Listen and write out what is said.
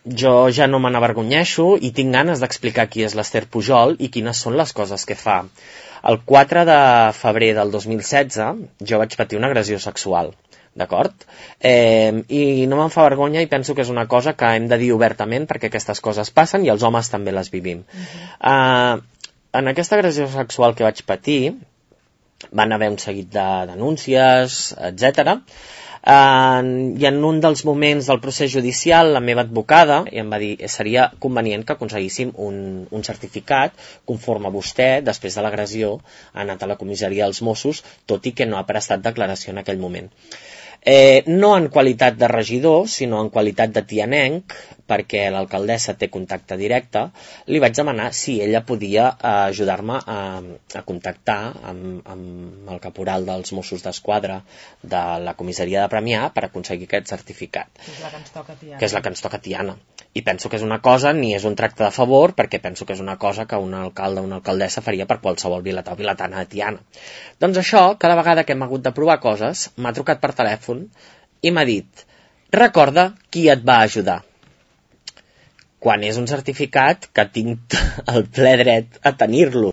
jo ja no me n'avergonyeixo i tinc ganes d'explicar qui és l'Ester Pujol i quines són les coses que fa. El 4 de febrer del 2016 jo vaig patir una agressió sexual, d'acord? I no me'n fa vergonya i penso que és una cosa que hem de dir obertament perquè aquestes coses passen i els homes també les vivim. En aquesta agressió sexual que vaig patir van haver un seguit de denúncies, etc. I en un dels moments del procés judicial la meva advocada em va dir que seria convenient que aconseguíssim un certificat conforme vostè, després de l'agressió, ha anat a la comissaria dels Mossos, tot i que no ha prestat declaració en aquell moment. No en qualitat de regidor, sinó en qualitat de tianenc, perquè l'alcaldessa té contacte directe, li vaig demanar si ella podia ajudar-me a contactar amb el caporal dels Mossos d'Esquadra de la comissaria de Premià per aconseguir aquest certificat. Que és la que ens toca a Tiana. Que és la que ens toca a Tiana. I penso que és una cosa, ni és un tracte de favor, perquè penso que és una cosa que un alcalde o una alcaldessa faria per qualsevol vilatà o vilatana de Tiana. Doncs això, cada vegada que hem hagut de provar coses, m'ha trucat per telèfon i m'ha dit: recorda qui et va ajudar. Quan és un certificat que tinc el ple dret a tenir-lo.